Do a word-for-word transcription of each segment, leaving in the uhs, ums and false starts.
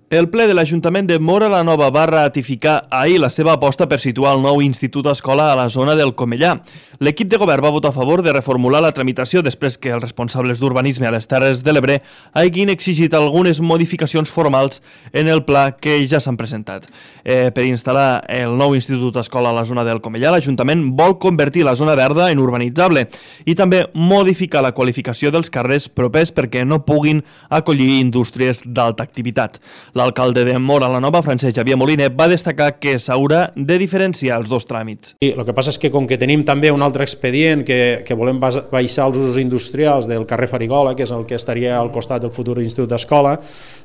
El ple de l'Ajuntament de Móra la Nova va ratificar ahir la seva aposta per situar el nou Institut Escola a la zona del Comellà. L'equip de govern va votar a favor de reformular la tramitació després que els responsables d'urbanisme a les Terres de l'Ebre hagin exigit algunes modificacions formals en el pla que ja s'han presentat. Eh, per instal·lar el nou Institut Escola a la zona del Comellà, l'Ajuntament vol convertir la zona verda en urbanitzable i també modificar la qualificació dels carrers propers perquè no puguin acollir indústries d'alta activitat. L'alcalde de Móra la Nova, Francesc Xavier Moliner, va destacar que s'haurà de diferenciar els dos tràmits. I el que passa és que com que tenim també un altre expedient que, que volem baixar els usos industrials del carrer Farigola, que és el que estaria al costat del futur Institut d'Escola,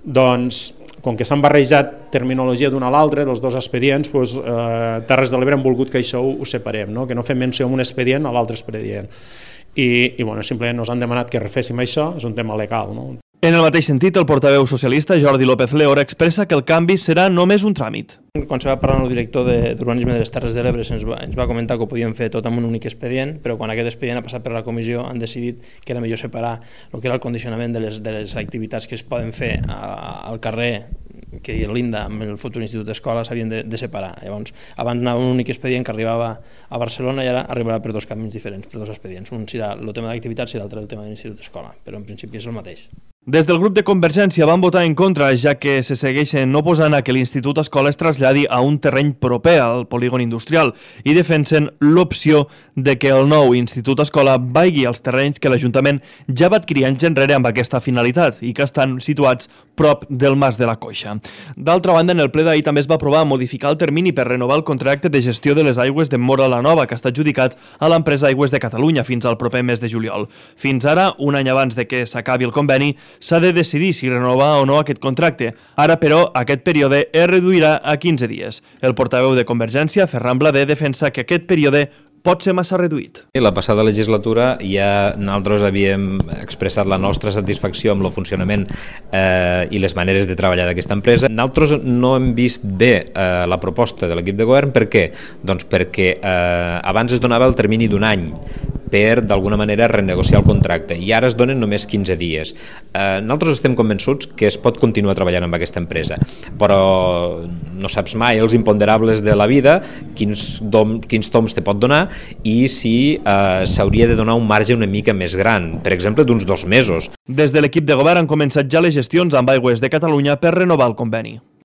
doncs com que s'han barrejat terminologia d'un a l'altre, dels dos expedients, doncs, eh, Terres de l'Ebre han volgut que això ho, ho separem, no? Que no fem menció en un expedient a l'altre expedient. I, i bueno, simplement ens han demanat que reféssim això, és un tema legal, no? En el mateix sentit, el portaveu socialista Jordi López Leora expressa que el canvi serà només un tràmit. Quan se va parlar amb el director d'Urbanisme de les Terres de l'Ebre ens va, ens va comentar que ho podíem fer tot amb un únic expedient, però quan aquest expedient ha passat per la comissió han decidit que era millor separar el que era el condicionament de les, de les activitats que es poden fer a, al carrer que l'Inda amb el futur Institut d'Escola s'havien de, de separar. Llavors, abans anava un únic expedient que arribava a Barcelona i ara arribarà per dos camins diferents, per dos expedients. Un serà el tema d'activitats i l'altre el tema de l'Institut d'Escola, però en principi és el mateix. Des del grup de Convergència van votar en contra, ja que se segueixen oposant a que l'Institut Escola es traslladi a un terreny proper al polígon industrial i defensen l'opció de que el nou Institut Escola vagi als terrenys que l'Ajuntament ja va adquirir anys enrere amb aquesta finalitat i que estan situats prop del Mas de la Coixa. D'altra banda, en el ple d'ahir també es va aprovar modificar el termini per renovar el contracte de gestió de les aigües de Móra la Nova, que està adjudicat a l'empresa Aigües de Catalunya fins al proper mes de juliol. Fins ara, un any abans de que s'acabi el conveni, s'ha de decidir si renovar o no aquest contracte. Ara, però, aquest període es reduirà a quinze dies. El portaveu de Convergència, Ferran Blader, defensa que aquest període pot ser massa reduït. La passada legislatura ja nosaltres havíem expressat la nostra satisfacció amb el funcionament eh, i les maneres de treballar d'aquesta empresa. Nosaltres no hem vist bé eh, la proposta de l'equip de govern. Per què? Doncs perquè eh, abans es donava el termini d'un any per, d'alguna manera, renegociar el contracte, i ara es donen només quinze dies. Eh, nosaltres estem convençuts que es pot continuar treballant amb aquesta empresa, però no saps mai els imponderables de la vida, quins, dom, quins toms te pot donar, i si eh, s'hauria de donar un marge una mica més gran, per exemple, d'uns dos mesos. Des de l'equip de govern han començat ja les gestions amb Aigües de Catalunya per renovar el conveni.